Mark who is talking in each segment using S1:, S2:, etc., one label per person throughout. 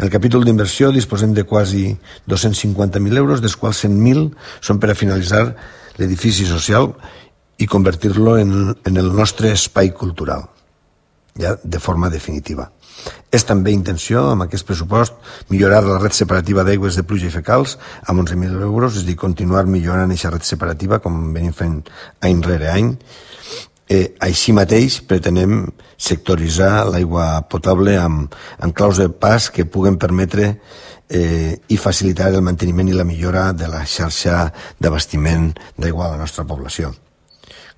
S1: En el capítol d'inversió disposem de quasi 250.000 euros, dels quals 100.000 són per a finalitzar l'edifici social i convertir-lo en el nostre espai cultural, ja de forma definitiva. És també intenció, amb aquest pressupost, millorar la red separativa d'aigües de pluja i fecals amb 11.000 euros, és a dir, continuar millorant aquesta red separativa com venim fent any rere any. Així mateix pretenem sectoritzar l'aigua potable amb claus de pas que puguen permetre i facilitar el manteniment i la millora de la xarxa d'abastiment d'aigua a la nostra població.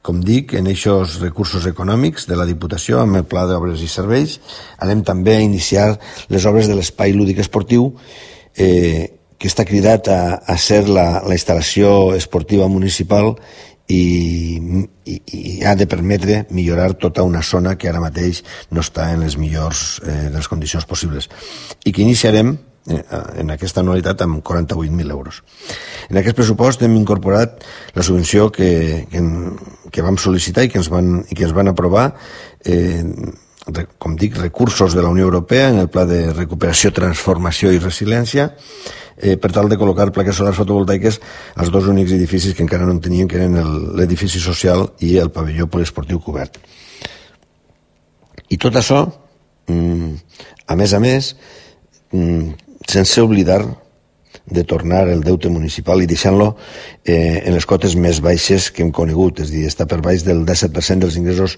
S1: Com dic, en aquests recursos econòmics de la Diputació, amb el Pla d'Obres i Serveis, anem també a iniciar les obres de l'espai lúdic esportiu, que està cridat a ser la instal·lació esportiva municipal i ha de permetre millorar tota una zona que ara mateix no està en les millors de les condicions possibles i que iniciarem en aquesta anualitat amb 48.000 euros. En aquest pressupost hem incorporat la subvenció que vam sol·licitar i que ens van aprovar, com dic, recursos de la Unió Europea en el Pla de Recuperació, Transformació i Resiliència, per tal de col·locar plaques solars fotovoltaiques als dos únics edificis que encara no en tenien, que eren l'edifici social i el pavelló poliesportiu cobert. I tot això, a més, sense oblidar de tornar el deute municipal i deixant-lo en les cotes més baixes que hem conegut, és a dir, està per baix del 17% dels ingressos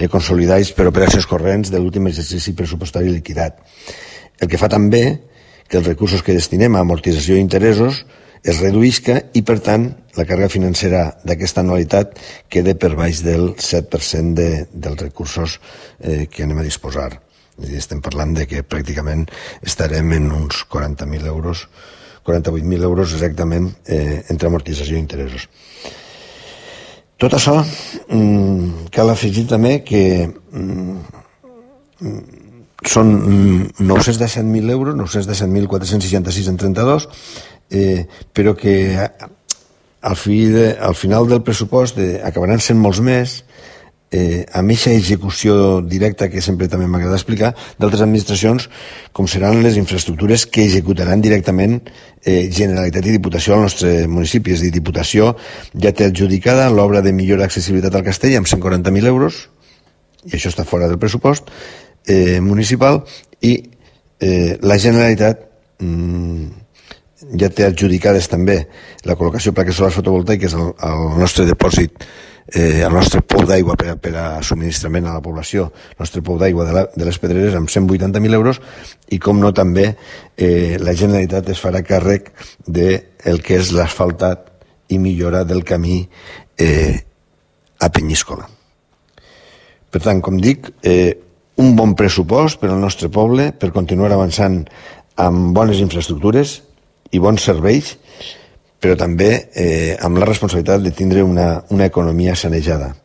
S1: consolidats per operacions corrents de l'últim exercici pressupostari liquidat. El que fa també que els recursos que destinem a amortització i interessos es reduïsca i, per tant, la càrrega financera d'aquesta anualitat queda per baix del 7% dels recursos que anem a disposar. És a dir, estem parlant de que pràcticament estarem en uns 40.000 euros, 48.000 euros exactament entre amortització i interessos. Tot això cal afegir també que són 917.000 euros, 917.466 en 32, però que al final del pressupost acabaran sent molts més, amb aquesta execució directa que sempre també m'agrada explicar d'altres administracions, com seran les infraestructures que executaran directament Generalitat i Diputació al nostre municipi. És a dir, Diputació ja té adjudicada l'obra de millora d'accessibilitat al castell amb 140.000 euros, i això està fora del pressupost municipal, i la Generalitat ja té adjudicades també la col·locació de plaques solars fotovoltaiques al nostre depòsit, al nostre pou d'aigua per a subministrament a la població, el nostre pou d'aigua de les Pedreres amb 180.000 euros, i com no també la Generalitat es farà càrrec del que és l'asfaltat i millora del camí a Penyíscola. Per tant, com dic, un bon pressupost per al nostre poble per continuar avançant amb bones infraestructures i bons serveis, però també amb la responsabilitat de tindre una economia sanejada.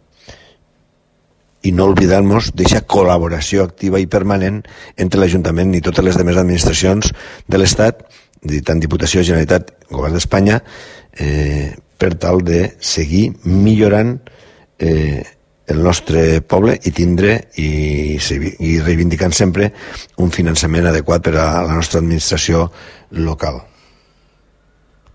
S1: I no oblidar-nos d'aquesta col·laboració activa i permanent entre l'Ajuntament i totes les demés administracions de l'Estat, tant Diputació, Generalitat, Govern d'Espanya, per tal de seguir millorant el nostre poble i tindre i reivindicant sempre un finançament adequat per a la nostra administració local.